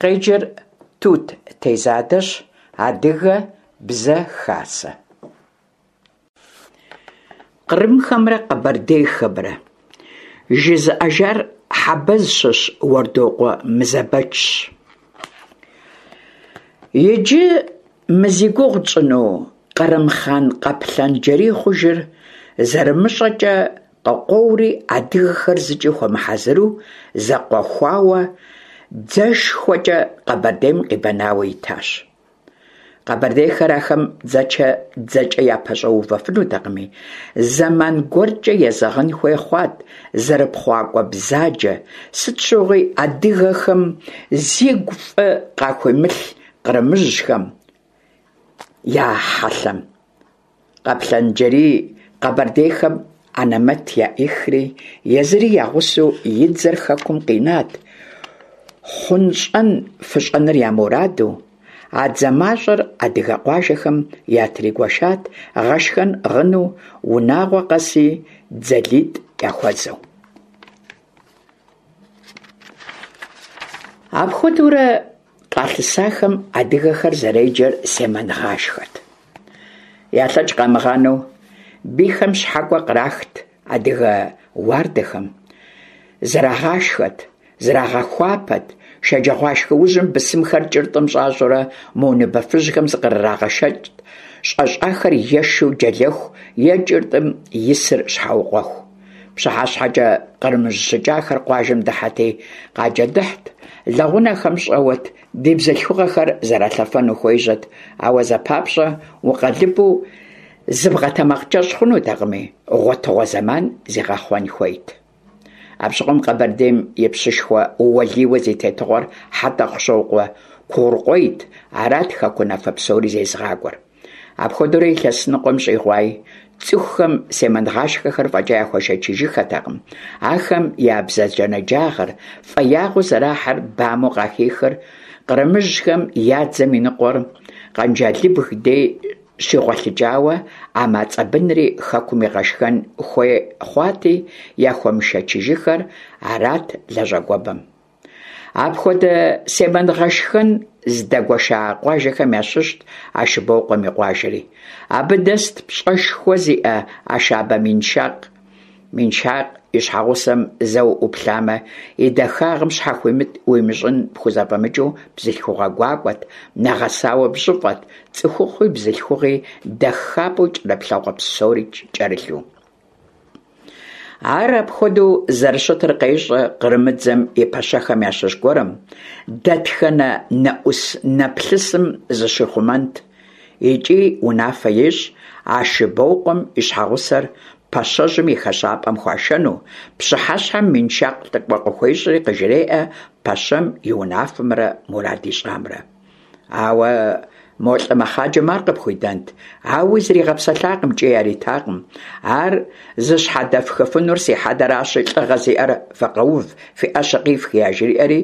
Къеджэр Тут Тезадэщ, Адыгэ бзэ хасэ. Кърымхэмрэ къэбэрдейхэмрэ. Жызыӏэжар Хьэбэз щыщ Уэрдокъуэ Мызэбэчщ. Иджы мы зи гугъу тщӏыну Кърым хъан Къаплъэн-Джэрий хъужыр зэрымыщӏэкӏэ къыкъуэури адыгэхэр зыкӏи хуэмыхьэзыру зэкъуэхуауэ дзэшхуэкӏэ Къэбэрдейм къибэнауэ итащ. Къэбэрдейхэр ахэм дзэчэ дзэкӏэ япэщӏэувэфынутэкъыми, зэман гуэркӏэ езэгъын хуей хъуат зэрыпхъуакӏуэ бзаджэ, сыт щыгъуи адыгэхэм зигу фӏы къахуимылъ кърымыжьхэм я хьэлъэм. Къаплъэн-Джэрий къэбэрдейхэм анэмэт яӏихри, езыри я гъусэу и дзэр хэкум къинат, хъунщӏэн-фыщӏэныр я мураду, а дзэ мащӏэр адыгэ къуажэхэм ятригуэшат гъэшхэн ӏыгъыну, унагъуэ къэси дзэлитӏ яхуэзэу. Апхуэдэурэ къалъысахэм адыгэхэр зэреджэр семэнгъашхэт. Ялъэкӏ къамыгъанэу бийхэм щхьэкӏуэ кърахт адыгэ уардэхэм, зэрагъашхэт, зэрагъэхуапэт, шэджагъуашхэ ужьым бысымхэр кӏыртӏым щӏащӏэурэ мо ныбэфыжьхэм зыкърырагъэшэкӏт, щӏэщӏахэр ешу джэлэху е кӏыртӏым исыр щхьэукъуэху. Пщыхьэщхьэкӏэ кърымыжь щыкӏахэр къуажэм дыхьэти, къаджэдыхьт, лэгъунэхэм щӏэуэт, ди бзылъхугъэхэр зэралъэфэну хуежьэт, ауэ зэпапщӏэ укъэлыбу зыбгъэтэмакъкӏэщӏ хъунутэкъыми, гъуэтыгъуэ зэман зигъэхъуэн хуейт. Апщыгъуэм Къэбэрдейм и пщышхуэ уэлийуэ зи тетыгъуэр Хьэтӏохъущокъуэ Кугъурыкъуейт, арат хэку унафэ псори зезыгъакӏуэр. Апхуэдэурэ илъэс ныкъуэм щӏигъуаи, цӏыхухэм семэнгъашхэхэр фӏэкӏа яхуэшэчыжыххэтэкъым. Ахэм я бзаджэнаджагъэр, фӏеягъэу зэрахьэр бамэу къахихыр, кърымыжьхэм я дзэм и ныкъуэр Къэнжалыбг дей щигъуэлъыкӏауэ, а мацӏэ бынри хэкум игъэшхэн хуей хъуати, яхуэмышэчыжыххэр арат лэжьакӏуэбэм. Апхуэдэ семэнгъэшхэн зыдагуэша къуажэхэм ящыщт Ашыбокъуэм и къуажэри. Абы дэст пщӏэшхуэ зиӏэ Ашабэ Миншакъ. Миншакъ и щхьэгъусэм зэ уӏуплъамэ, и дахагъым щхьэхуимыт уимыщӏын пхузэфӏэмыкӏыу бзылъхугъэ гуакӏуэт, нэгъэсауэ бжьыфӏэт, цӏыхухъуи бзылъхугъи дахапӏэу кӏэрыплъэгъуэ псори кӏэрылъу. Ар апхуэдэу зэрыщытыр къещӏэ кърымыдзэм и пэщэхэм ящыщ гуэрым, дэтхэнэ нэӏус-нэплъысым зыщихъумэнт икӏи унафэ ещӏ Ашыбокъуэм и щхьэгъусэр пэщэжьым и хэщӏапӏэм хуашэну, пщыхьэщхьэм Миншакъ лӏыкӏуэ къыхуещӏри къыжреӏэ пэщэм и унафэмрэ мурад ищӏамрэ. Ауэ мо лӏы мэхъаджэм ар къыпхуидэнт, ауи зригъэпсэлъакъым икӏи яритакъым. Ар зыщхьэдэфхыфынур си хьэдэращи, лӏыгъэ зиӏэр фыкъэув, фи ӏэщэ къифх, яжриӏэри,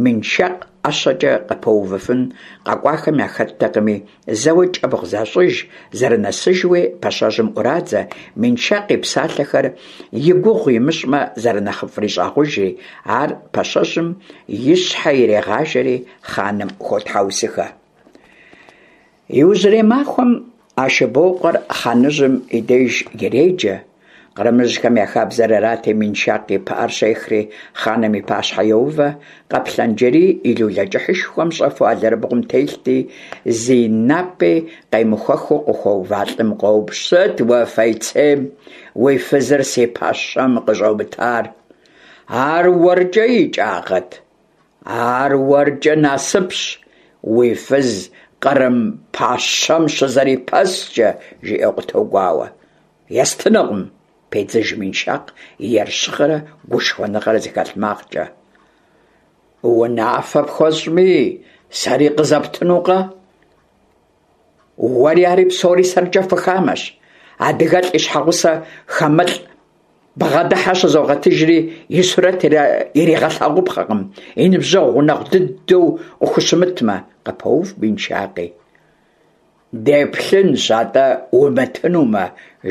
Миншакъ ӏэщэкӏэ къыпэувыфын къэкӏуахэм яхэттэкъыми, зэуэ кӏэбгъу защӏыж, зэрынэсыжуи пэщэжьым ӏурадзэ, Миншакъ и псалъэхэр и гугъу имыщӏмэ зэрынэхъыфӏри щӏагъужри, ар пэщэжьым и щхьэ ирегъажэри хъаным хуотхьэусыхэ. Иужьрей махуэм Ашыбокъуэр хъаныжьым и деж иреджэ. Кърымыжьхэм я хабзэр арати, Миншакъ и пыӏэр щехри хъаным и пащхьэ йоувэ, Къаплъэн-Джэрий и лулэ кӏыхьышхуэм щӏэфу алэрыбгъум телъти, зи напӏи къемыхуэхыу къыхуэува лӏым къоупщӏ: Сыт уэ фейцейм уи фызыр си пэщэм къыщӏомытар? Ар уэркӏэ икӏагъэт? Ар уэркӏэ насыпщ, уи фыз кърым пащэм щызэрипэскӏэ, жиӏэу къытогуауэ. Естынукъым, педзыж Миншакъ ерыщыгъэрэ гушхуэныгъэрэ зыхэлъ макъкӏэ. Унафэ пхуэсщӏми, сэри къызэптынукъэ? Уэри ари псори сэркӏэ фыхамэщ. Адыгэлӏ и щхьэгъусэ хамэлӏ бгъэдыхьэ щызогъэтыжри, и сурэт иригъэлъагъупхъэкъым, и ныбжьэгъу гъунэгъу дыдэу къыхущымытмэ, къыпоув Миншакъи. Деплъынщ, атӏэ, умытынумэ,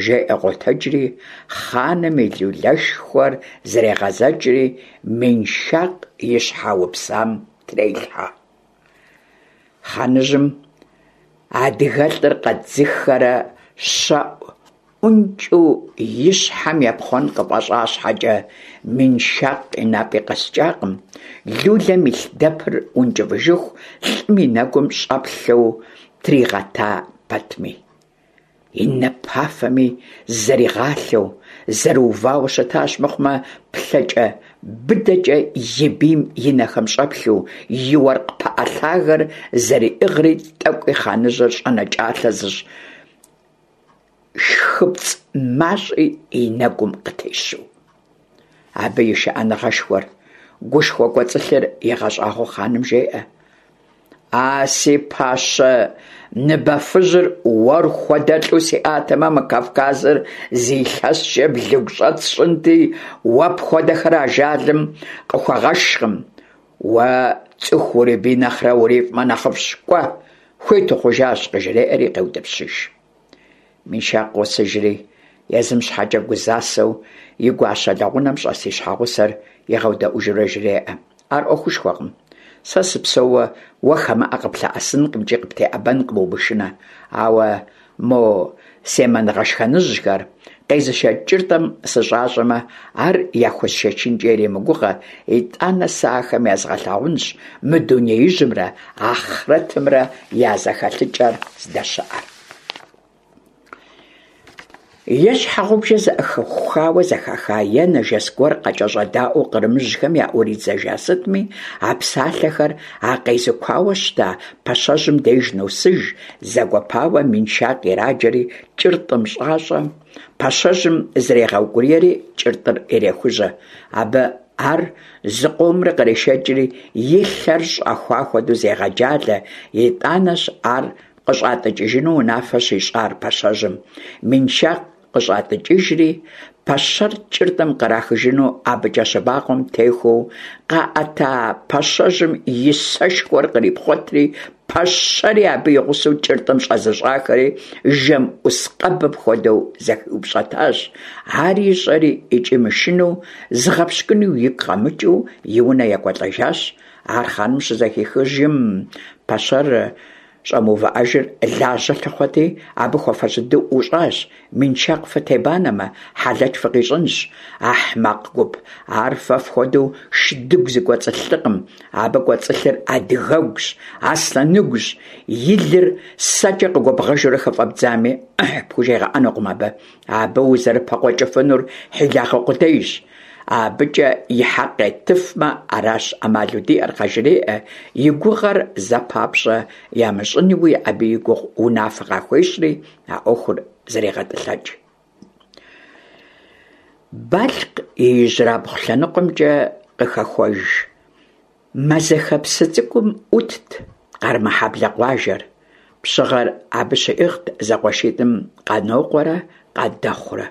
жеӏэ къотэджри, хъаным и лулэшхуэр зрегъэзэкӏри, Миншакъ и щхьэ упсам трелъхьэ. Хъаныжьым адыгэлӏыр къэдзыхэрэ щэӏу ӏункӏыу и щхьэм епхъуэн къыфӏэщӏа щхьэкӏэ, Миншакъ и напӏи къэскӏакъым, лулэм илъ дэпыр ункӏыфӏыжыху лӏым и нэгум щӏэплъэу тригъэта пэтми. И напафэми зэригъалъэу, зэрыувауэ щытащ мыхъумэ, плъэкӏэ быдэкӏэ и бийм и нэхэм щӏэплъу, и уэркъ пыӏэ лъагэр зэриӏыгъри тӏэкӏуи хъаныжьыр щӏэнэкӏалъэ зыщӏ шхыпцӏ мащӏи и нэгум къытещу. Абы и шыӏэныгъэшхуэр, гушхуэ кӏуэцӏылъыр игъэщӏагъуэу хъаным жеӏэ: А си пащэ ныбэфыжьыр уэр хуэдэлӏу сиӏатэмэ, мы Кавказыр зы илъэскӏэ блыгущӏэт сщӏынти, уэ пхуэдэхэр ажалым къыхуэгъэшкъым. Уэ цӏыху урибий нэхърэ урифӏмэ нэхъыфӏщ, кӏуэ, хуит ухъужащ, къыжреӏэри къеутӏыпщыж. Миншакъ къосыжри, езым щхьэкӏэ гузасэу и гуащэ лэгъунэм щӏэс и щхьэгъусэр игъэудэӏужурэ жреӏэ: Ар ӏуэхушхуэкъым. Сэ сыпсэууэ уэ хамэӏэ къыплъэӏэсынкъым икӏи къыптеӏэбэнкъым, умышынэ. Ауэ мо семэнгъэшхэныжьхэр къезышэкӏ кӏыртӏым сыщӏащӏэмэ, ар яхуэсшэчынкӏэ иремыгугъэ, итӏанэ сэ ахэм язгъэлъагъунщ мы дунеижьымрэ ахърэтымрэ я зэхэлъыкӏэр здэщыӏэр. Е щхьэгъубжэ зэӏухауэ зэхаха, е нэжэс гуэр къакӏэщӏэдаӏуэу кърымыжьхэм яӏуридзэжа сытми, а псалъэхэр а къезыкуауэ щыта пэщэжьым деж носыж, зэгуэпауэ Миншакъ ираджэри кӏыртӏым щӏащӏэ, пэщэжьым зрегъэукӏуриери кӏыртӏыр ирехужьэ. Абы ар зыкъомрэ кърешэкӏри, и лъэр щӏэхуа хуэдэу зегъэджалэ, итӏанэщ ар къыщӏатӏыкӏыжыну унафэ щищӏар пэщэжьым. Миншакъ къыщӏатӏыкӏыжри, пэщэр кӏыртӏым кърахыжыну абыкӏэ щыбакъуэм техуэу къаӏэта пэщэжьым и сэшхуэр кърипхъуэтри, пэщэри абы и гъусэу кӏыртӏым щӏэзыщӏахэри жэм ӏус къэбым хуэдэу зэхиупщӏэтащ. Ар ищӏэри икӏи мышынэу, зыгъэпщкӏуну игу къэмыкӏыу и унэ екӏуэлӏэжащ. Ар хъаным щызэхихыжым, пэщэр Щӏэмыувыӏэжыр лажьэ лъыхъуэти, абы хуэфэщэ дыдэу ӏущӏащ. Миншакъ фытебанэмэ, хьэлэч фыкъищӏынщ, ахьмакъ гуп. Ар фэ фхуэдэу шыдыгу зыкӏуэцӏылъ лӏыкъым. Абы кӏуэцӏылъыр адыгэгущ, аслъэныгущ. И лыр сэкӏэ къыгуэбгъэжурэ хыфӏэбдзами, ӏыхь пхужегъэӏэнукъым абы. Абы узэрыпэкъуэкӏыфынур хьилагъэ къудейщ. Абыкӏэ и хьэкъ еттыфмэ, аращ ӏэмалу диӏэр, къажреӏэ, и гугъэр зэпапщӏэ ямыщӏынуи абы и гугъу унафэ къахуещӏри, а ӏуэхур зэрегъэтӏылъэкӏ. Балъкъ и ижьрабгъу лъэныкъуэмкӏэ къыхэхуэж Мэзэхэ псы цӏыкӏум ӏутт Къармэхьэблэ къуажэр. Пщыгъэр абы щиӏыгът зэкъуэшитӏым Къанокъуэрэ Къадэхъурэ.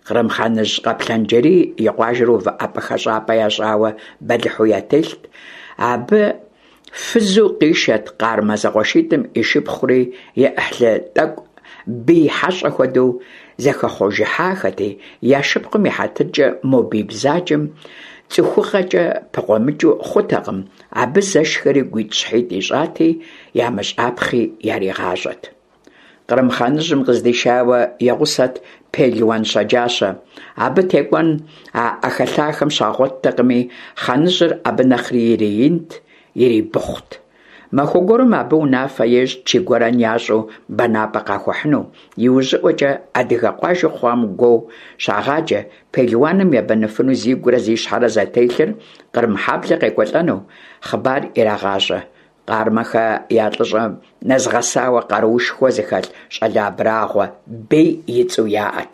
Кърым хъаныжь Къаплъэн-Джэрий и къуажэр увыӏэпӏэ-хэщӏапӏэ ящӏауэ бэлыхьу ятелът. Абы фызу къишэт Къармэ зэкъуэшитӏым и шыпхъури, и ӏыхьлы тӏэкӏу бий хьэщӏэ хуэдэу зэхэхъужыхьахэти, я шыпхъум и хьэтыркӏэ мо бий бзаджэм цӏыхугъэкӏэ пыкъуэмыкӏыу хъутэкъым, абы зэшхэри гуитӏщхьитӏ ищӏати, ямыщӏапхъи яригъащӏэт. Кърым хъаныжьым къыздишауэ и гъусэт пелуан щэджащэ. Абы текӏуэн а ӏэхэлъахэм щагъуэттэкъыми, хъаныжьыр абы нэхъри ириинт, ирибыхъут. Махуэ гуэрым абы унафэ ещӏ чы гуэрэн ящӏу бэнапӏэ къахуэхьыну. Иужьыӏуэкӏэ адыгэ къуажэу хъуам гуо щагъаджэ, пелуаным ебэныфыну зигурэ зи щхьэрэ зэтелъыр Кърымхьэблэ къекӏуэлӏэну хъыбар ирагъащӏэ. Къармэхэ я лӏыщӏэм нэзгъэсауэ къаруушхуэ зыхэлъ щӏалэ абрагъуэ Бей и цӏэу яӏэт.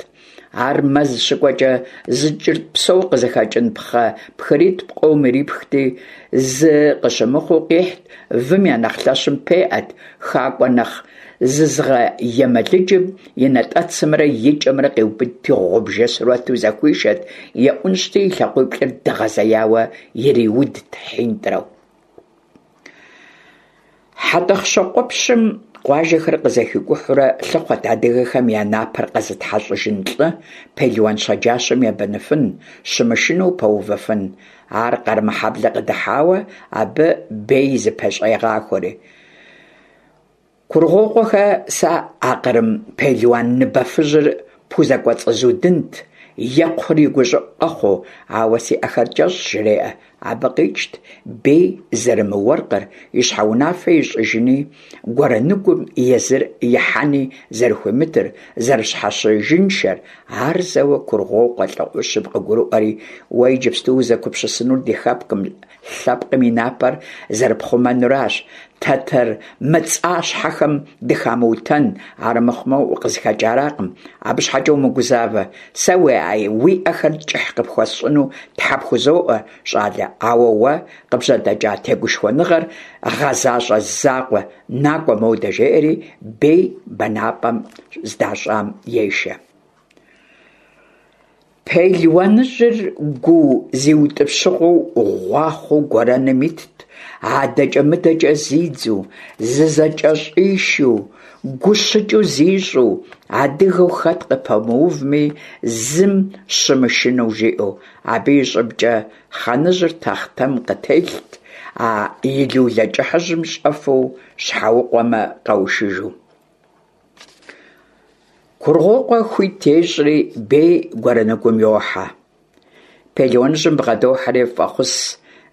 Ар мэз щыкӏуэкӏэ зы кӏыртӏ псо къызыхэкӏын пхъэ пхыритӏ пкъом ирипхти, зы къыщымыхъуу къихьт, вым я нэхъ лъэщым пеӏэт, хакӏуэ нэхъ зызыгъэемэлыджым и натӏэцымрэ и кӏэмрэ къиубыдти гъубжэ сурэту зэхуишэт, еӏунщӏти и лъакъуиплӏыр дэгъэзеяуэ ириудт хьинтӏрэу. Хьэтӏохъущокъуэпщым къуажэхэр къызэхикӏухьурэ лъыхъуэт адыгэхэм я напэр къэзытхьэщӏыжын лӏы, пелуан щэджащэм ебэныфын, щымышынэу пэувыфын. Ар Къармэхьэблэ къыдыхьауэ, абы Бей зыпэщӏегъахуэри. Кургъуокъуэхэ сэ а кърым пелуан ныбэфыжьыр пхузэкӏуэцӏызудынт, екхъур и гущӏыӏу къэхъуу, ауэ си ӏэхэр кӏэщӏщ, жреӏэ. Абы къикӏт Бей зэрымыуэркъыр, и щхьэ унафэ ищӏыжыни, гуэрэныгум езыр ихьэни зэрыхуимытыр, зэрыщхьэщыжыншэр. Ар зэуэ Кургъуокъуэ лӏы ӏущым къыгурыӏуэри, уэ иджыпсту узэгупсысынур ди хэкум, лъэпкъым и напэр зэрыпхъумэнуращ, тэтэр мыцӏащхьэхэм дыхамыутэн, армыхъумэ укъызыхэкӏаракъым. Абы щхьэкӏэ умыгузавэ, сэ уи ӏэхэр кӏыхь къыпхуэсщӏыну тхьэ пхузоӏуэ, щӏалэ, ауэ уэ къыбжьэдэкӏа тегушхуэныгъэр гъэзащӏэ закъуэ, накӏуэ модэ, жеӏэри Бей бэнапӏэм здащӏам ешэ. Пелуаныжьыр гуу зиутӏыпщыгъуэу гъуахъуэу гуэрэным итт, адэкӏэ-мыдэкӏэ зидзу, зызэкӏэщӏишу, гущыкӏыу зищӏу, адыгэу хэт къыпэмыувми, зым щымышынэу жиӏэу. Абы и щӏыбкӏэ хъаныжьыр тахътэм къытелът, а и лулэ кӏыхьыжьым щӏэфу щхьэукъуэмэ къэушыжу. Кургъуокъуэ хуит ещӏри, Бей гуэрэныгум йохьэ. Пелуаныжьым бгъэдохьэри фӏэхъус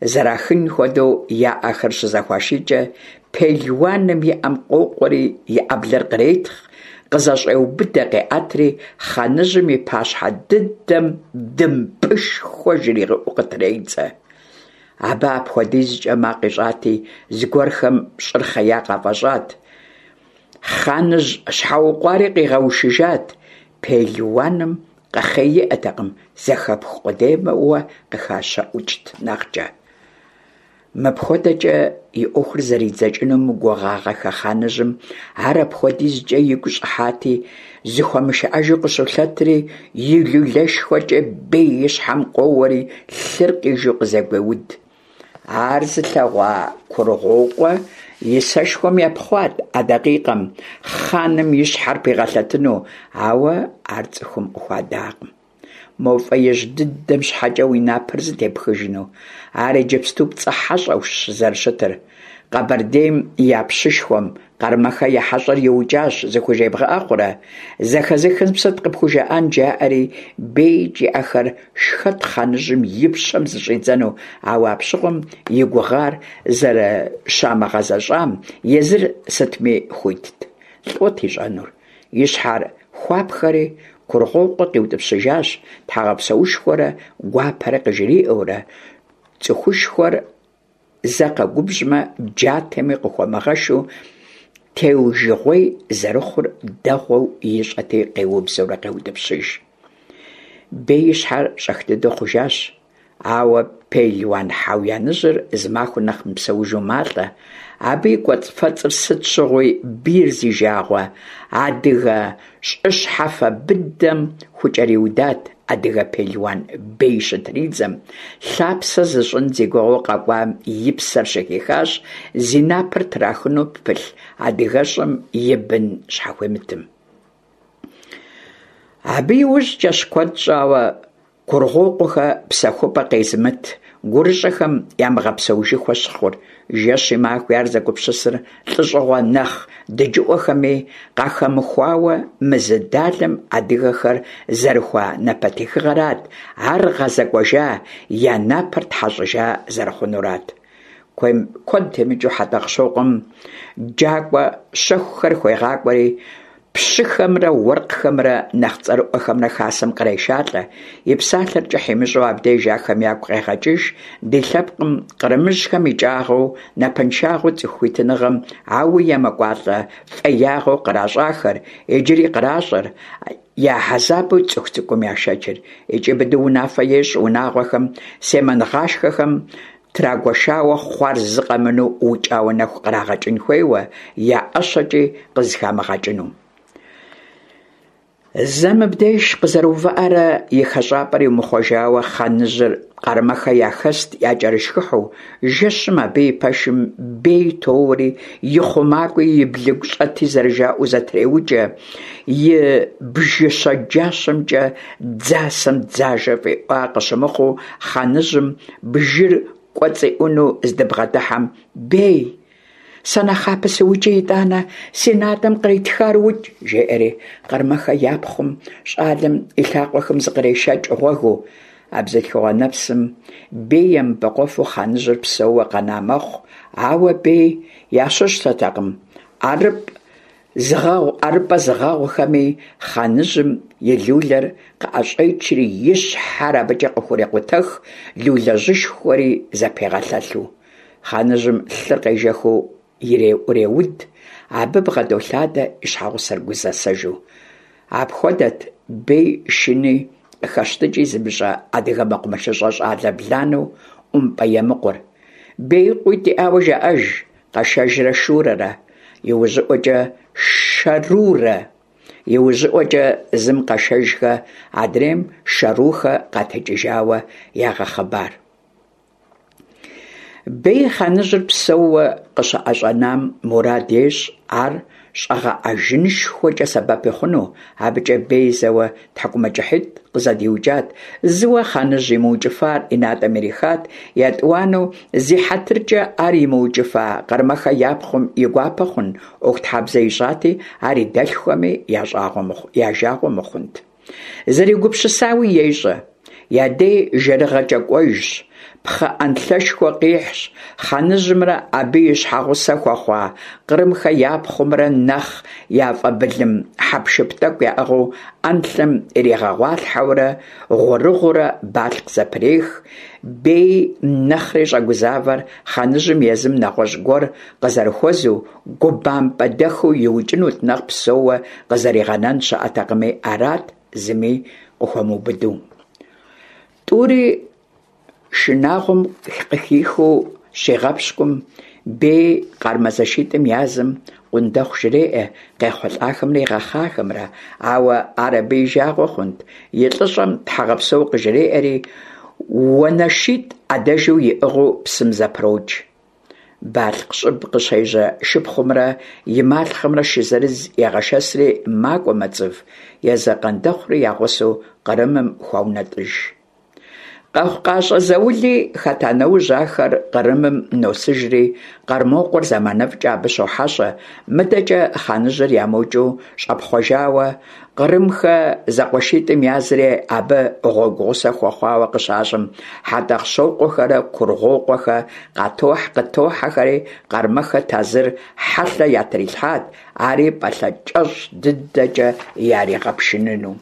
зэрахын хуэдэу я ӏэхэр щызэхуашийкӏэ, пелуаным и ӏэм къокъуэри и ӏэблэр къретхъ, къызэщӏеубыдэ, къеӏэтри, хъаныжьым и пащхьэ дыдэм дымпӏышхуэ жригъэӏэу къытредзэ. Абы апхуэдизкӏэ макъ ищӏати, зыгуэрхэм щӏыр хъея къафӏэщӏат. Хъаныжь щхьэукъуари къигъэушыжат, пелуаным къэхъей иӏэтэкъым, зэхэпх къудейуэ къыхэщэӏукӏт нэхъкӏэ. Мыпхуэдэкӏэ и ӏуэхур зэридзэкӏыну мыгугъагъэхэ хъаныжьым ар апхуэдизкӏэ игу щӏыхьати, зыхуэмышыӏэжу къыщолъэтри, и лулэшхуэкӏэ Бей и щхьэм къоуэри, лъыр къижу къызэгуеуд. Ар зылъэгъуа Кургъуокъуэ и сэшхуэм епхъуат а дакъикъэм хъаным и щхьэр пигъэлъэтыну, ауэ ар цӏыхум къыхуадакъым. Мо фӏеижь дыдэм щхьэкӏэ уи напэр зытепхыжыну? Ар иджыпсту пцӏы хьэщӏэущ зэрыщытыр. Къэбэрдейм я пщышхуэм Къармэхэ я хьэщӏэр иукӏащ зыхужебгъэӏэ хъурэ? Зэхэзыхым сыт къыпхужаӏэн, жаӏэри, Беикӏ и ӏэхэр шхэт хъаныжьым и пщэм зыщӏидзэну, ауэ апщыгъуэм и гугъар зэрыщамыгъэзэщӏам езыр сытми хуитт. Лӏот ищӏэнур? И щхьэр хуапхэри, Кургъуокъуэ къиутӏыпщыжащ, тхьэгъэпсэушхуэрэ гуапэрэ къыжриӏэурэ, цӏыхушхуэр зэ къэгубжьмэ, джатэми къыхуэмыгъэшу теужыгъуей зэрыхъур дэгъуэу ищӏэти, къеубзэурэ къеутӏыпщыж. Бей и щхьэр щӏэх дыдэу хъужащ, ауэ пелуан хьэуяныжьыр зы махуэ нэхъ мыпсэужу малӏэ. Абы и кӏуэцӏфэцӏыр сыт щыгъуи бийр зи жагъуэ адыгэ щӏы щхьэфэ быдэм хукӏэриудат адыгэ пелуан Бей щытридзэм, лъапсэ зыщӏын зи гугъэу къэкӏуам и псэр щыхихащ зи напэр трахыну пылъ адыгэщӏым и бын щхьэхуимытым. Абы иужькӏэщ куэд щӏауэ Кургъуокъуэхэ псэхупӏэ къезымыт гурыщӏэхэм ямыгъэпсэужыхуэ щыхъур, жэщи махуи ар зэгупсысыр лӏыщӏыгъуэ нэхъ дыджыӏуэхэми къахэмыхуауэ мы зы далэм адыгэхэр зэрыхуа напэтехыгъэрат, ар гъэзэкӏуэжа, я напэр тхьэщӏыжа зэрыхъунурат. Куэд темыкӏыу Хьэтӏохъущокъуэм джакӏуэ щэхухэр хуегъакӏуэри, пщыхэмрэ уэркъхэмрэ нэхъ цӏэрыӏуэхэмрэ хасэм кърешалӏэ, и псалъэр кӏыхь имыщӏу абдеж ахэм ягу къегъэкӏыж ди лъэпкъым кърымыжьхэм икӏагъэу, напэншагъэу цӏыху хуитыныгъэм ауи емыкӏуалӏэ фӏеягъэу къращӏахэр, иджыри къращӏэр, я хьэзабу цӏыху цӏыкӏум яшэчыр. Икӏи быдэу унафэ ещӏ унагъуэхэм семэнгъашхэхэм трагуэшауэ хъуар зы къэмынэу укӏауэ нэху кърагъэкӏын хуейуэ, я ӏэщэкӏи къызыхамыгъэкӏыну. Зэ мыбдеж къызэрыувыӏэрэ и хэщӏапӏэр имыхъуэжауэ хъаныжьыр Къармэхэ яхэст якӏэрышхыхьу, жэщым абы и пэшым Бей тоуэри, и хъумакӏуи и блыгу щӏэти зэрыжаӏэу зэтреукӏэ, и бжы щэджащэмкӏэ дзасэм дзажэ фӏиӏуа къыщымыхъуу хъаныжьым бжыр кӏуэцӏиӏуну здыбгъэдыхьэм, Бей! Сэ нэхъапэ сыукӏи, итӏанэ си натӏэм къритхар укӏ, жеӏэри Къармэхэ я пхъум щӏалэм и лъакъуэхэм зыкърешэкӏ гъуэгыу. А бзылъхугъэ нэпсым Бей емыбэкъуэфу хъаныжьыр псэууэ къэна мэхъу, ауэ Бей ящыщтэкъым ӏэрыпӏэ зыгъэгъухэми, хъаныжьым и лулэр къыӏэщӏечри и щхьэр абыкӏэ къыхурекъутэх, лулэжьышхуэри зэпегъэлъэлъу. Хъаныжьым лъыр къежэхыу иреӏуреуд, абы бгъэдолъадэ и щхьэгъусэр гузэсэжу. Апхуэдэт Бей шыни къыхэщтыкӏи зымыщӏэ адыгэ мэкъумэшыщӏэ щӏалэ бланэу ӏумпӏэ Емыкъур. Бей къуитӏ иӏауэ жаӏэж, Къэшэжрэ Шурэрэ, иужьыӏуэкӏэ Шэрурэ, иужьыӏуэкӏэ зым Къэшэжхэ, адрейм Шэрухэ къатекӏыжауэ ягъэхъыбар. Бей хъаныжьыр псэууэ къыщыӏэщӏэнам мурад ещӏ ар щӏэгъэӏэжынышхуэкӏэ сэбэпи хъуну, абыкӏэ Бей зэуэ тхьэкӏумэкӏыхьитӏ къызэдиукӏат, зыуэ хъаныжь имыукӏыфар и натӏэм ирихат, етӏуанэу зи хьэтыркӏэ ар имыукӏыфа Къармэхэ я пхъум и гуапэ хъун ӏуэхутхьэбзэ ищӏати, ар и дэлъхухэми я жагъуэ мыхъунт. Зэрегупсысауи ещӏэ. Я дей жэрыгъэкӏэ кӏуэжщ, пхъэ ӏэнлъэшхуэ къихьщ, хъаныжьымрэ абы и щхьэгъусэ хуэхъуа Кърымхэ я пхъумрэ нэхъ яфӏэбылым хьэпшып тӏэкӏу яӏыгъыу ӏэнлъэм иригъэгъуалъхьэурэ гъурыгъуурэ Балъкъ зэпрех. Бей нэхъри щӏэгузавэр хъаныжьым езым нэгъуэщӏ гуэр къызэрыхуэзэу губампӏэдэхыу иукӏынут нэхъ псэууэ къызэригъэнэн щыӏэтэкъыми, арат зыми къыхуэмыубыду. Тӏури шынагъуэм къыхихыу щигъэпщкӏум, Бей Къармэ зэшитӏым язым Къундэхъу жреӏэ къехъулӏахэмрэ игъэхъахэмрэ, ауэ ар абы и жагъуэ хъунт, и лӏыщӏэм тхьэгъэпсэу къыжреӏэри, уанэшитӏ ӏэдэжу иӏыгъыу псым зэпрокӏ. Балъкъ щӏыб къыщежьэ шыпхъумрэ и малъхъэмрэ шы зырыз егъэшэсри макӏуэ Мэцӏыв, езы Къандэхъури я гъусэу Кърымым хуаунэтӏыж. Къэхъукъащӏэ заули хэта нэужь ахэр Кърымым носыжри, Къэрмокъуэр зэманыфӏкӏэ абы щохьэщӏэ, мыдэкӏэ хъаныжьыр ямыукӏыу щӏэпхъуэжауэ, Кърымхэ зэкъуэшитӏым язри абы гъуэгу гъусэ хуэхъуауэ къыщащӏэм, Хьэтӏэхъущокъуэхэрэ Кургъуокъуэхэ къытохьэхэри Къармэхэ тазыр хьэлъэ ятрилъхьат, ари пӏалъэ кӏэщӏ дыдэкӏэ яригъэпшыныну.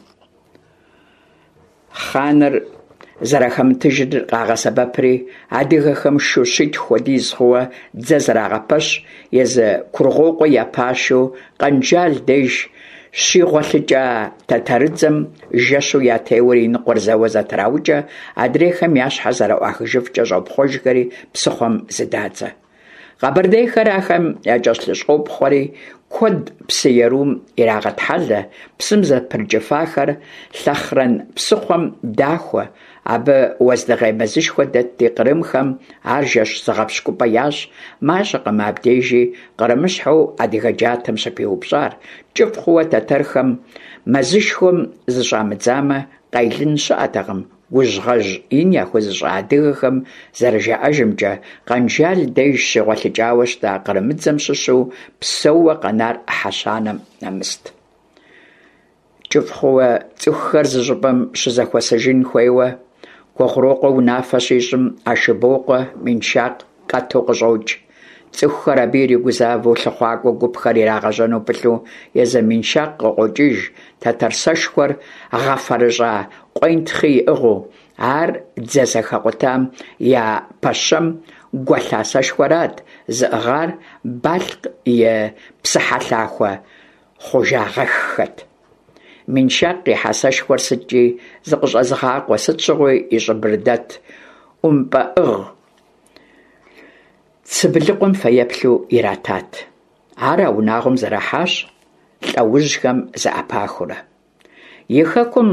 Хъаныр зэрахэмытыжыр къагъэсэбэпри, адыгэхэм шу щитху хуэдиз хъууэ дзэ зэрагъэпэщ, езы Кургъуокъуэ я пашэу Къэнжал деж щигъуэлъыкӏа тэтэрыдзэм жэщу ятеуэри и ныкъуэр зэуэ зэтраукӏэ, адрейхэм я щхьэр зэрыӏуахыжыфкӏэ щӏопхъуэжхэри псыхъуэм зыдадзэ. Къэбэрдейхэр ахэм якӏэлъыщӏопхъуэри, куэд псы ерум ирагъэтхьэлэ, псым зэпрыкӏыфахэр Лъэхърэн псыхъуэм дахуэ, абы уэздыгъей мэзышхуэ дэтти, кърымхэм ар жэщ зыгъэпщкӏупӏэ ящӏ, мащӏэкъым абдежи кърымыщхьэу адыгэ джатэм щыпиупщӏар, кӏыфӏ хъууэ тэтэрхэм мэзышхуэм зыщӏамыдзамэ, къелын щыӏэтэкъым, Гужьгъэжь ин яхуэзыщӏа адыгэхэм зэрыжаӏэжымкӏэ, Къэнжал деж щигъуэлъыкӏауэ щыта кърымыдзэм щыщу псэууэ къэнар ӏыхьэ щанэм нэмыст. Кӏыфӏ хъууэ цӏыхухэр зы щӏыпӏэм щызэхуэсыжын хуейуэ Кугъурокъуэ унафэ щищӏым, Ашыбокъуэ Миншакъ къэту къыщӏокӏ. Цӏыхухэр абы иригузавэу лъыхъуакӏуэ гупхэр ирагъэжьэну пылъу езы Миншакъ къыкъуокӏыж, тэтэр сэшхуэр гъэфэрыщӏа къуентхъи иӏыгъыу. Ар дзэ зэхэкъутам я пэщэм гуэлъа сэшхуэрат зыӏыгъар Балъкъ и псыхьэлъахуэ хъужагъэххэт. Миншакъ къихьа сэшхуэр сыткӏи зыкъыщӏэзыгъакъуэ, сыт щыгъуи и щӏыбырыдэт ӏумпӏэӏыгъ Цыбылыкъуэм фэеплъу иратат. Ар а унагъуэм зэрахьащ лӏэужьхэм зэӏэпахыурэ. И хэкум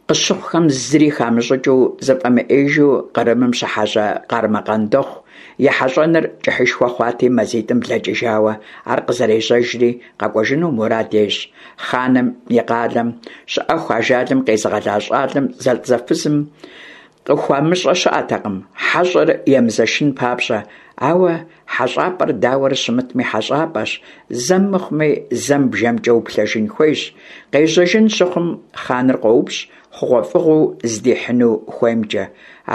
къыщыхъухэм зыри хамыщӏыкӏыу, зыфӏэмыӏейжу Кърымым щыхьэщӏэ Къармэ Къандэхъу и хьэщӏэныр кӏыхьышхуэ хъуати, мазитӏым блэкӏыжауэ ар къызэрежьэжри къэкӏуэжыну мурад ещӏ. Хъаным и къалэм щыӏэху ажалым къезыгъэла щӏалэм зэлӏзэфызым. Къыхуамыщӏэ щыӏэтэкъым, хьэщӏэр емызэшын папщӏэ, ауэ хьэщӏапӏэр дауэрэ щымытми хьэщӏапӏэщ, зэм мыхъуми зэм бжэмкӏэ уплъэжын хуейщ. Къежьэжын щыхъум, хъаныр къоупщӏ хъугъуэфӏыгъуэу здихьыну хуеймкӏэ.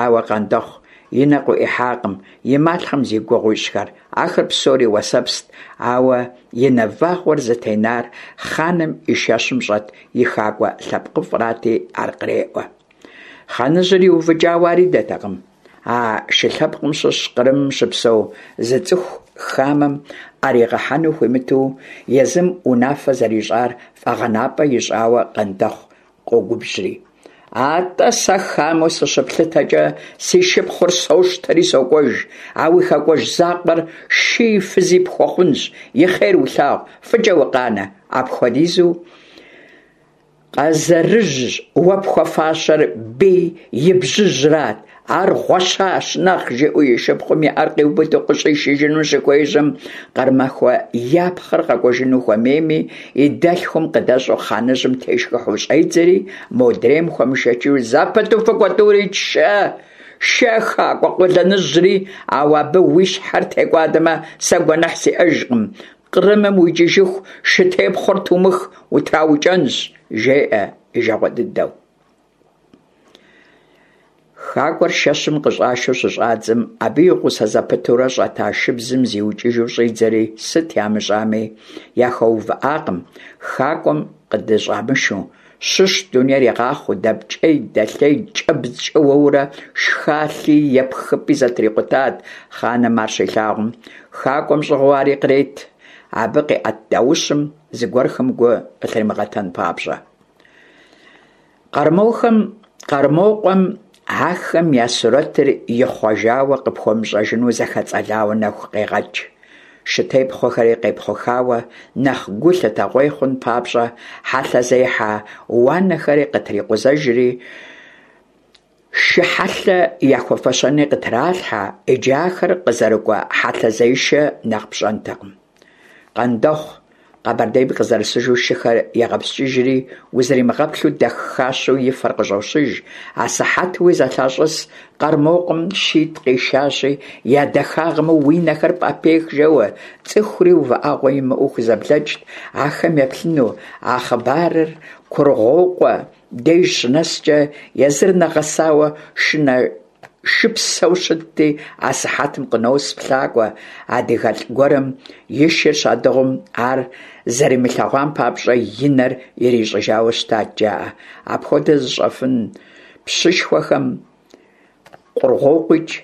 Ауэ Къандэхъу и нэ къыӏуихьакъым и малъхъэм зи гугъу ищӏхэр, ахэр псори уэсэпст, ауэ и нэ вагъуэр зытенар хъаным и шэщым щӏэт и хакӏуэ лъэпкъыфӏрати, ар къреӏуэ. Хъаныжьыр иувыкӏауэ ар идэтэкъым. А шы лъэпкъым щыщ Кърымым щыпсэу зы цӏыху хамэм ӏэригъэхьэну хуимыту езым унафэ зэрищӏар фӏэгъэнапӏэ ищӏауэ Къандэхъу къогубжьри. Атӏэ сэ хамэу сыщыплъытэкӏэ, си шыпхъур сощтэри сокӏуэж, а уи хакӏуэжь закъуэр шыи фызи пхуэхъунщ, и хъер улъагъу, фӏыкӏэ укъанэ, апхуэдизу Къэзэрыжь, уэ пхуэфащэр бий и бжьыжьрат, ар гъуэщащ нэхъ, жиӏэу и шыпхъум и ӏэр къиубыду къыщӏишыжыну щыхуежьэм, Къармэхуэ я пхъэр къэкӏуэжыну хуэмейми, и дэлъхум къыдэщӏу хъаныжьым тешхыхьу щӏедзэри, модрейм хуэмышэчу зэпыту фыкӏуэ тӏури, шэ, шэ хакӏуэ къуэлэныжьри, ауэ абы уи щхьэр текӏуадэмэ, сэ гуэныхь сиӏэжкъым, Кърымым уикӏыжыху шытепхъуэр тумых, утраукӏэнщ, жеӏэ и жагъуэ дыдэу. Хакӏуэр шэщым къыщӏашэу щыщӏадзэм, абы и гъусэ зэпытурэ щӏэта шыбзым зиукӏыжу щӏидзэри, сыт ямыщӏами, яхуэувыӏакъым, хакӏуэм къыдыщӏамышу. Щыщ дунейр игъахъуэу, дэпкӏей, дэлъей, кӏэбдзкӏэ уэурэ шхалъи епхыпӏи зэтрикъутат хъаным ар щилъагъум. Хакӏуэм щӏыгъуу ари кърет, абы къиӏэт даущым зыгуэрхэм гу къылъримыгъэтэн папщӏэ. Къэрмохэм, Къэрмокъуэм ахэм я сурэтыр ихъуэжауэ къыпхуэмыщӏэжыну зэхэцӏэлауэ нэху къегъэкӏ. Шытепхъуэхэри къепхъухауэ, нэхъ гу лъытэгъуей хъун папщӏэ, хьэлъэзехьэ уанэхэри къытрикъузэжри, шы хьэлъэ яхуэфэщэни къытралъхьэ, иджы ахэр къызэрыкӏуэ хьэлъэзешэ нэхъ пщӏэнтэкъым. Къандэхъу Къэбэрдейм къызэрысыжу шыхэр егъэпскӏыжри, узримыгъэплъу дахащэу и фэр къыщӏощыж. Асыхьэтуи зэлъащӏыс Къэрмокъуэм шитӏ къишащи, я дахагъэм уи нэхэр пӏэпех жэуэ, цӏыхури увыӏэгъуэ имыӏэу хузэблэкӏт ахэм еплъыну. А хъыбарыр Кургъуокъуэ деж щынэскӏэ, езыр нэгъэсауэ шынэ шыпсэу щытти, асыхьэтым къынос плъакӏуэ, адыгэлӏ гуэрым и шыр щадыгъум ар зэримылъэгъуам папщӏэ и нэр ирищӏыжауэ щытат, жаӏэ. Апхуэдэ зыщӏэфын пщышхуэхэм Кургъуокъуикӏ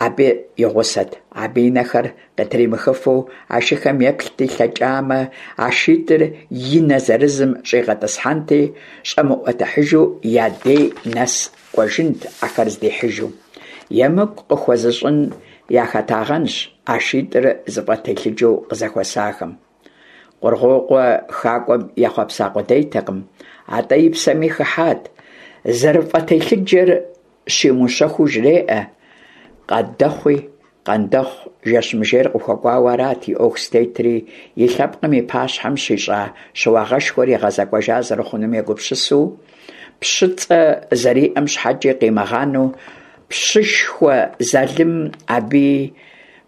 абы и гъусэт. Абы и нэхэр къытримыхыфу а шыхэм еплъти, лъэкӏамэ, а шитӏыр и нэ зырызым щӏигъэтӏысхьэнти, щӏэмыӏуэтыхьыжу я дей нэс кӏуэжынт ахэр здихьыжу. Емыкӏу къыхуэзыщӏын яхэтагъэнщ а шитӏыр зыфӏэтелъыджэу къызэхуэсахэм. Кургъуокъуэ хакӏуэм ехъуэпса къудейтэкъым, атӏэ и псэми хыхьат. Зэрыфӏэтелъыджэр щимыущэхуу жреӏэ Къандэхъуи, Къандэхъу жэщмыжейр къыхуэкӏуауэ арат и ӏуэху зытетри, и лъэпкъым и пащхьэм щищӏа щыуагъэшхуэр игъэзэкӏуэжа зэрыхъунум егупсысу, пщыцӏэ зэриӏэм щхьэкӏи къимыгъанэу, пщышхуэ залымым абыи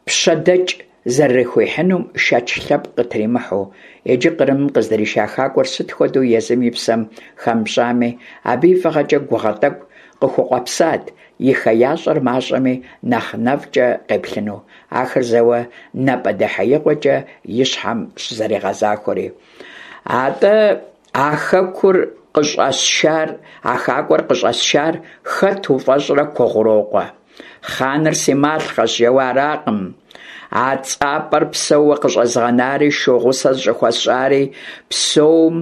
пщэдэкӏ зэрыхуихьынум шэч лъэпкъ къытримыхьэу, иджы Кърымым къыздриша хакӏуэр сыт хуэдэу езым и псэм хэмыпщӏами, абы и фӏыгъэкӏэ гугъэ тӏэкӏу къыхукъуэпсат, и хеящӏэр мащӏэми, нэхъ нэфӏкӏэ къеплъыну, ахэр зэуэ напӏэдэхьеигъуэкӏэ и щхьэм щызэригъэзахуэри. Атӏэ а хэкур къыщӏэсшар, а хакӏуэр къыщӏэсшар хэт уфӏэщӏрэ, Кургъуокъуэ? Хъаныр си малъхъэщ жэуэ аракъым. А цӏапӏэр псэууэ къыщӏэзгъэнари, шу гъусэ зыщӏыхуэсщӏари, псэум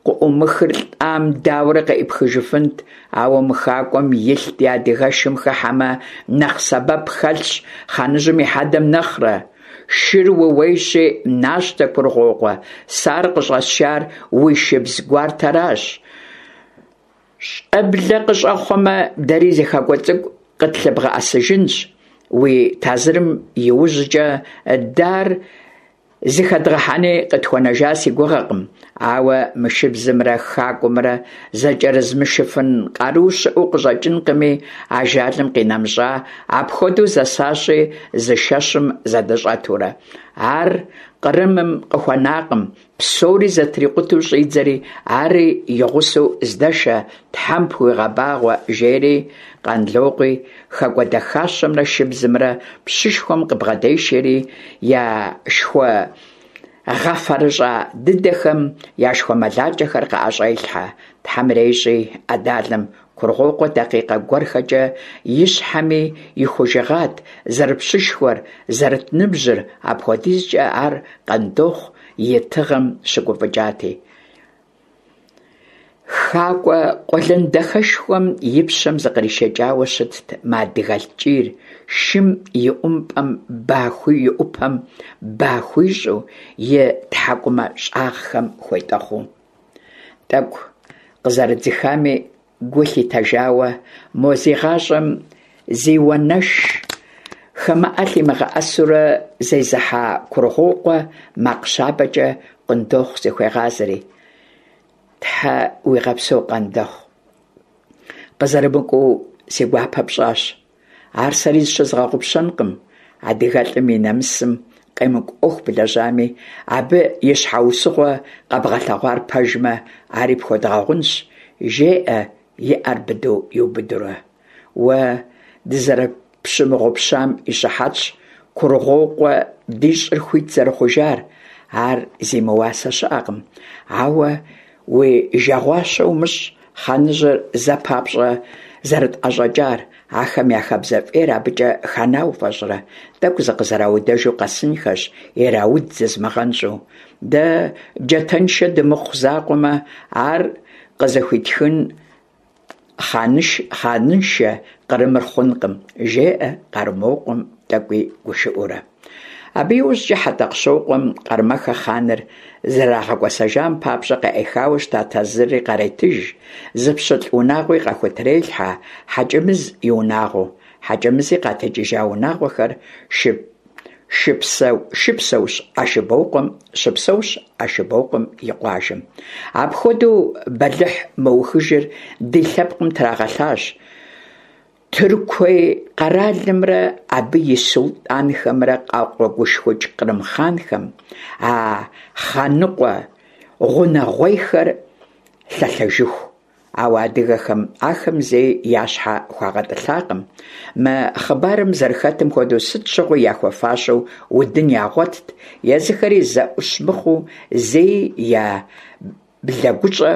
къыӏумыхыр лӏам дауэрэ къыӏипхыжыфынт, ауэ мы хакӏуэм илъ ди адыгэшым хыхьэмэ, нэхъ сэбэп хэлъщ хъаныжьым и хьэдэм нэхърэ. Шыр ууейщи, нащтэ, Кургъуокъуэ, сэ ар къыщӏэсшар уи шыбз гуартэращ. Щӏэблэ къыщӏэхъуэмэ, дэри зы хакӏуэ цӏыкӏу къытлъыбгъэӏэсыжынщ. Уи тазырым иужькӏэ дэ ар зыхэдгъэхьэни къытхуэнэжа си гугъэкъым. Ауэ мы шыбзымрэ хакӏуэмрэ зэкӏэрызмышыфын къару щыӏэу къыщӏэкӏынкъыми, ажалым къинэмыщӏа, апхуэдэу зэсащи, зы шэщым зэдыщӏэтурэ. Ар Кърымым къыхуэнакъым, псори зэтрикъутэу щӏидзэри, ари и гъусэу здэшэ, Тхьэм пхуигъэбагъуэ, жери Къанлокъуи хэкӏуэдэхащэмрэ шыбзымрэ пщышхуэм къыбгъэдешэри, я шхуэ гъэфэрыщӏа дыдэхэм я шхуэмылакӏэхэр къаӏэщӏелъхьэ. Тхьэм ирещӏи, ӏэдалэм Кургъуокъуэ дакъикъэ гуэрхэкӏэ и щхьэми ихужыгъат зэрыпщышхуэр, зэрыт ныбжьыр, апхуэдизкӏэ ар Къандохъу и тыгъэм щыгуфӏыкӏати. Хакӏуэ къуэлэн дахэшхуэм и пщэм зыкъришэкӏауэ щытт мы адыгэлӏ ткӏийр, шым и ӏумпӏэм ба и ӏупэм ба хуищӏу, и тхьэкӏумэ щӏагъхэм хуетӏэхъуу. Тӏэкӏу къызэрыдзыхами гу лъитэжауэ, мо зи гъащӏэм зи уанэш хамэӏэ лъимыгъэӏэсурэ зезыхьа Кургъуокъуэ макъ щабэкӏэ Къундохъу зыхуегъазэри: Тхьэ уигъэпсэу, Къандэхъу, къызэрымыкӏуэу си гуапэ пщӏащ. Ар сэри зыщызгъэгъупщэнкъым, адыгэлӏым и нэмысым къемыкӏу ӏуэху блэжьами, абы и щхьэусыгъуэ къэбгъэлъэгъуар пэжмэ, ари пхуэдгъэгъунщ, жеӏэ и ӏэр быдэу иубыдурэ. Уэ дызэрыпщымыгъупщам и щыхьэтщ Кургъуокъуэ ди щӏыр хуит зэрыхъужар, ар зимыуасэ щыӏэкъым. Ауэ уи жагъуащэ умыщӏ, Хъаныжьыр зэ папщӏэ зэрытӏэщӏэкӏар, ахэм я хабзэ фӏейр абыкӏэ хана уфӏэщӏрэ? Тӏэкӏу зыкъызэраудэжу къэсынхэщ, ирауд зызмыгъэнщӏу. Дэ джатэншэ дымыхъу закъуэмэ, ар къызыхуитхын хъаныншэ Кърымыр хъункъым, жеӏэ Къармокъуэм тӏэкӏуи гушыӏэурэ. Абы иужькӏэ Хьэтӏэхъущокъуэм Къармэхэ хъаныр зэрырагъэкӏуэсэжам папщӏэ къаӏихауэ щыта тазырри къаретыж, зы пщылӏ унагъуи къахутрелъхьэ Хьэкӏэмыз и унагъуэу. Хьэкӏэмызи къатекӏыжа унагъуэхэр шыпсэущ Ашыбокъуэм щыпсэущ Ашыбокъуэм и къуажэм. Апхуэдэу бэлыхь мыухыжыр ди лъэпкъым трагъэлъащ. Тыркуей къэралымрэ абы и султӏанхэмрэ къакъуэгушхукӏ кърым хъанхэм, а хъаныкъуэ гъунэгъуейхэр лъэлъэжыху. Ауэ адыгэхэм ахэм зэи я щхьэ хуагъэтӏылъакъым. Мы хъыбарым зэрыхэтым хуэдэу сыт щыгъуи яхуэфащэу удын ягъуэтт, езыхэри зэӏущ мыхъуу зэи я блэгущӏэ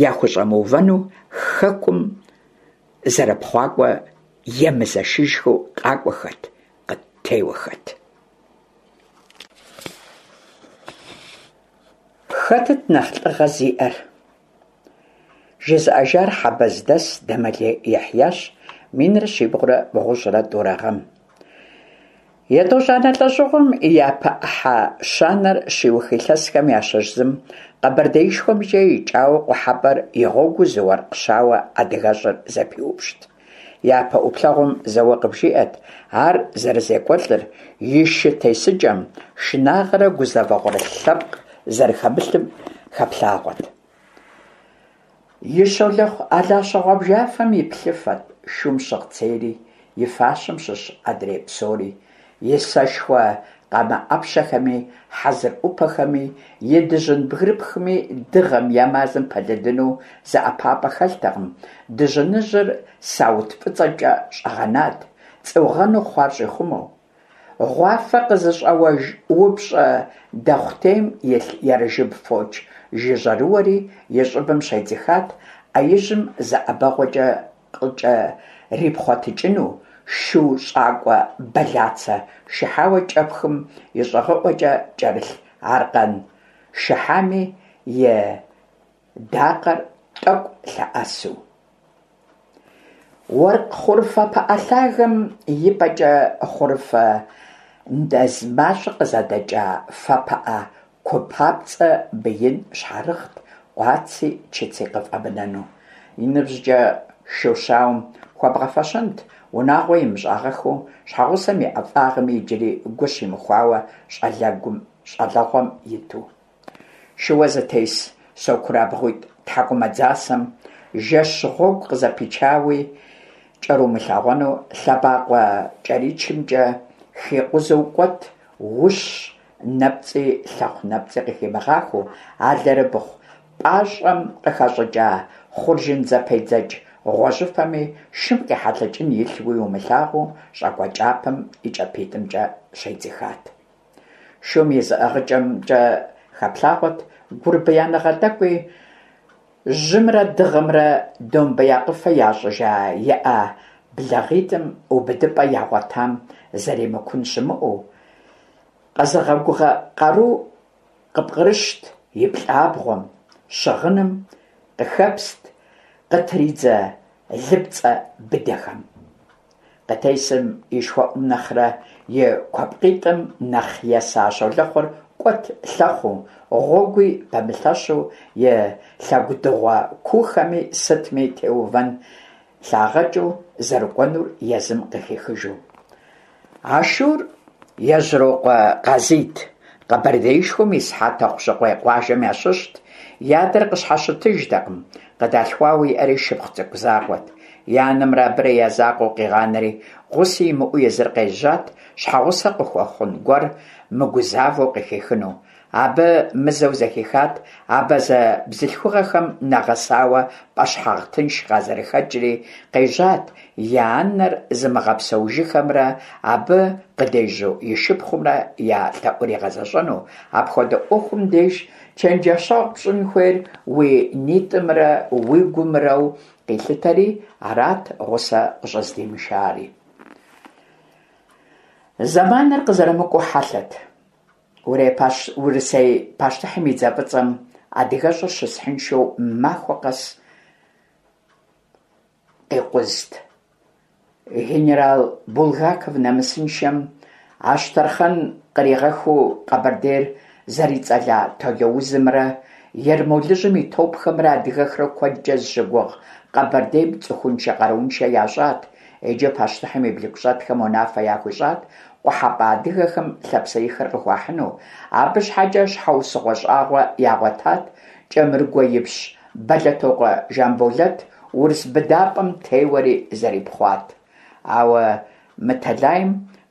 яхущӏэмыувэну хэкум зэрыпхъуакӏуэ емызэшыжхэу къакӏуэхэт, къыттеуэхэт. Хэтыт нэхъ лӏыгъэ зиӏэр? Жызыӏэжар Хьэбэздэс Дэмэлей Ехьящ 1392 гъэм. Етӏощӏанэ лӏэщӏыгъуэм и япэ ӏыхьэ щанэр щиух илъэсхэм ящыщ зым Къэбэрдеишхуэмкӏэ икӏауэ къухьэпӏэр и гъуэгуу зы уэркъ щауэ адыгэщӏыр зэпиупщӏт. Япэ ӏуплъэгъуэм зэуэ къыбжиӏэт ар зэрызекӏуэлӏыр, и шы тесыкӏэм шынагъэрэ гузэвэгъуэрэ лъэпкъ зэрыхэмылъым хэплъагъуэт. И щолэхъу алащэ гъуабжафэм и плъыфэт шум щыгъ цейри, и фащэм щыщ адрей псори, и сэшхуэ къамэ ӏэпщэхэми, хьэзыр ӏупэхэми, и дыжьын бгырыпхми дыгъэм е мазэм пэлыдыну зы ӏэпапӏэ хэлътэкъым, дыжьыныжьыр саут фӏыцӏэкӏэ щӏэгъэнат, цӏугъэнэу хъуар щӏихъумэу. Гъуафэ къызыщӏэуэж упщӏэ дохъутейм илъ ерыжыб фоч жыжьэрыуэри и щӏыбым щедзыхат, ӏэ ижьым зэ ӏэбэгъуэкӏэ къыкӏэрипхъуэтыкӏыну, шу щӏакӏуэ бэлацэ шыхьауэ кӏэпхым и щӏагъыӏуэкӏэ кӏэрылъ аркъэн шыхьами и дакъэр тӏэкӏу лъэӏэсу. Уэркъ хъурыфэ пыӏэ лъагэм и пӏэкӏэ хъурыфэ нэз мащӏэ къызэдэкӏа фэ пыӏэ ку папцӏэ мыин щхьэрыгът, къуаци чыци къыфӏэмынэну. И ныбжькӏэ шу щауэм хуэбгъэфэщэнт, унагъуэ имыщӏагъэххэу, щхьэгъусэм и ӏэфӏагъми иджыри гу щимыхуауэ щӏалэгъуэм иту. Шыуэ зытес сокурабгъуитӏ тхьэкӏумэ дзасэм жэщ гъуэгу къызэпичауи кӏэрумылъагъуэну лъэбакъуэ кӏэричымкӏэ хикъузэу кӏуэт, ущ нэпцӏи лъэхъу нэпцӏи къыхимыгъахуэу, алэрыбгъу пӏащӏэм къыхэщӏыкӏа хъуржын зэпедзэкӏ гъуэжьыфэми шым къехьэлъэкӏын илъуи умылъагъуу щӏакӏуэ кӏапэм и кӏапитӏымкӏэ щедзыхат. Шум и зыӏыгъыкӏэмкӏэ хэплъагъуэт гурбияныгъэ тӏэкӏуи, жьымрэ дыгъэмрэ домбеякъыфэ ящӏыжа и ӏэ благъитӏым убыдыпӏэ ягъуэтам зэремыкун щымыӏэу, къэзыгъэгугъэ къару къыпкърыщт и плӏабгъуэм, щыгъыным къыхэпст къытридзэ лыпцӏэ быдэхэм. Къытесым и шхуэӏум нэхърэ и куэпкъитӏым нэхъ еса щолэхъур кӏуэт лъэхъуу, гъуэгуи пэмылъэщу, и лъэгудыгъуэ куухэми сытми теувэн лъагъэкӏыу зэрыкӏуэнур езым къыхихыжу. А шур Ежьрокъуэ Къазийт, Къэбэрдеишхуэм ис Хьэтӏохъущыкъуей къуажэм ящыщт, и адэр къыщхьэщытыжтэкъым, къыдалъхуауэ иӏэри шыпхъу цӏыкӏу закъуэт. И анэмрэ абырэ я закъуэу къигъанэри, гъуси имыӏэу езыр къежьат, щхьэгъусэ къыхуэхъун гуэр мыгузавэу къыхихыну. Абы мызэу зэхихат абазэ бзылъхугъэхэм нэгъэсауэ пӏэщхьагъ тынш къазэрыхэкӏри, къежьат я анэр зымыгъэпсэужыхэмрэ абы къыдежьу и шыпхъумрэ я лъэӏур игъэзэщӏэну, апхуэдэ ӏуэхум деж чэнджэщэгъу пщӏын хуейр уи нитӏымрэ уи гумрэу къилъытэри, арат гъусэ къыщӏыздимышари. Зэманыр къызэрымыкӏуэу хьэлъэт. Урысей пащтыхьым и дзэ фӏыцӏэм адыгэщӏыр щысхьыншэу махуэ къэс къикъузт. Генерал Булгаков нэмысыншэм Ащтэрхъэн къригъэхыу Къэбэрдейр зэрицӏэла толоузымрэ Ермолыжьым и топхэмрэ адыгэхэр куэдкӏэ зыщыгугъ Къэбэрдейм цӏыхуншэ-къарууншэ ящӏат. Иджы пащтыхьым и блыгущӏэтхэм унафэ яхуищӏат къухьэпӏэ адыгэхэм лъапсэихыр къыхуахьыну, абы щхьэкӏэ щхьэусыгъуэ щӏагъуэ ягъуэтат Кӏэмыргуэ ипщ Бэлэтокъуэ Жамболэт урыс быдапӏэм теуэри зэрипхъуат. Ауэ мы тэлайм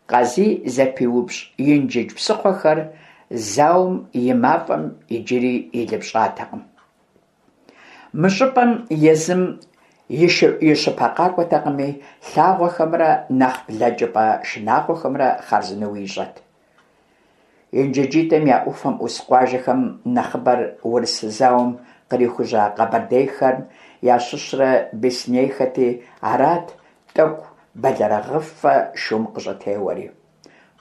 Къазий зэпиупщӏ Инжыдж псыхъуэхэр зауэм и мафӏэм иджыри илыпщӏатэкъым. Мы щӏыпӏэм езым и щыпэ къакӏуэтэкъыми, лъагъуэхэмрэ нэхъ блэкӏыпӏэ шынагъуэхэмрэ хъарзынэу ищӏэт. Инжыджитӏым я ӏуфэм ӏус къуажэхэм нэхъыбэр урыс зауэм кърихужьа къэбэрдейхэм ящыщрэ беслъэнейхэти, арат тӏэкӏу бэлэрыгъыфэ шум къыщӏытеуэри.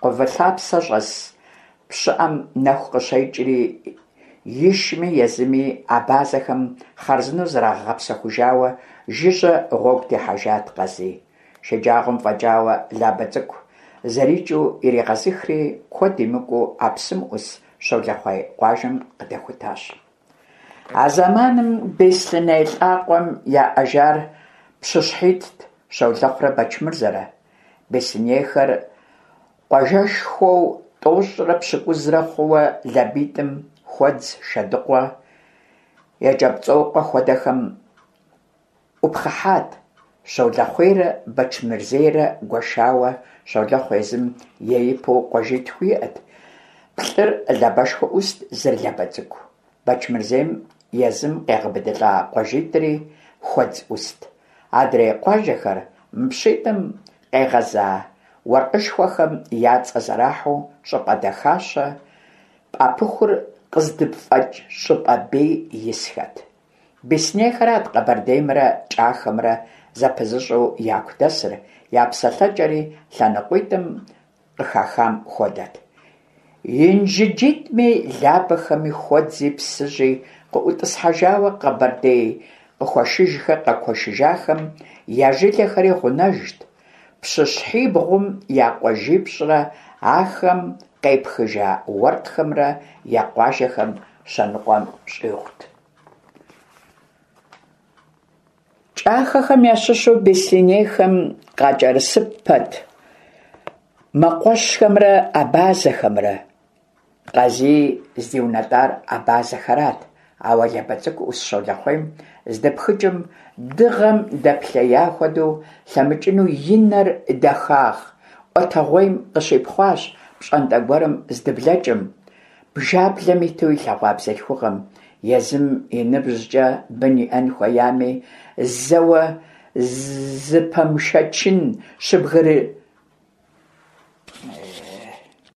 Къувэлъапсэ щӏэс пщыӏэм нэху къыщекӏри, ишми езыми абазэхэм хъарзынэу зрагъэгъэпсэхужауэ жыжьэ гъуэгу техьэжат Къазий. Шэджагъуэм фӏэкӏауэ Лабэ Цӏыкӏу зэрикӏыу иригъэзыхри, куэд имыкӏуу а псым ӏус Щолэхъуей къуажэм къыдэхутащ. А зэманым Беслъэней лӏакъуэм яӏэжар пщыщхьитӏт, Щолэхъурэ Бэчмырзэрэ. Беслъэнейхэр къуажэшхуэу тӏощӏрэ пщыкӏузрэ хъууэ Лабитӏым, Хуэдз, Шэдыкъуэ, Екӏэпцӏокъуэ хуэдэхэм ӏупхъыхьат. Щолэхъуейрэ Бэчмырзейрэ гуэшауэ Щолэхъу езым еипэу къуажитху иӏэт. Плӏыр Лабэшхуэ ӏуст, зыр Лабэ Цӏыкӏу. Бэчмырзейм езым къегъэбыдылӏа къуажитӏри Хуэдз ӏуст. Адрей къуажэхэр мы пщитӏым къегъэза уэркъышхуэхэм я цӏэ зэрахьэу щӏыпӏэ дахащэ пӏапыхур къыздыпфӏэкӏ щӏыпӏэ бей исхэт. Беслъэнейхэрат Къэбэрдеймрэ Кӏахэмрэ зэпызыщӏэу яку дэсыр, я псэлъэкӏэри лъэныкъуитӏым къыхахам хуэдэт. Инжыджитӏми, Лабэхэми, Хуэдзи, Псыжьи къыӏутӏысхьэжауэ Къэбэрдей къыхуэшыжхэр къэкуэшыжахэм я жылэхэри гъунэжт, пщыщхьибгъум я къуажипщӏрэ ахэм къепхыжа уэркъхэмрэ я къуажэхэм щэныкъуэм щӏигъут. Кӏахэхэм ящыщу беслъэнейхэм къакӏэрысыпэт мэкъуэщхэмрэ абазэхэмрэ. Къазий здиунэтӏар абазэхэрат, ауэ Лабэ Цӏыкӏу ӏус Щолэхъуейм здыпхыкӏым, дыгъэм дэплъея хуэдэу лъэмыкӏыну и нэр дахагъ ӏуэтэгъуейм къыщипхъуащ пщӏантӏэ гуэрым здыблэкӏым, бжаблэм иту илъэгъуа бзылъхугъэм, езым и ныбжькӏэ бын иӏэн хуеями, зэуэ зыпэмышэчын щыбгыры.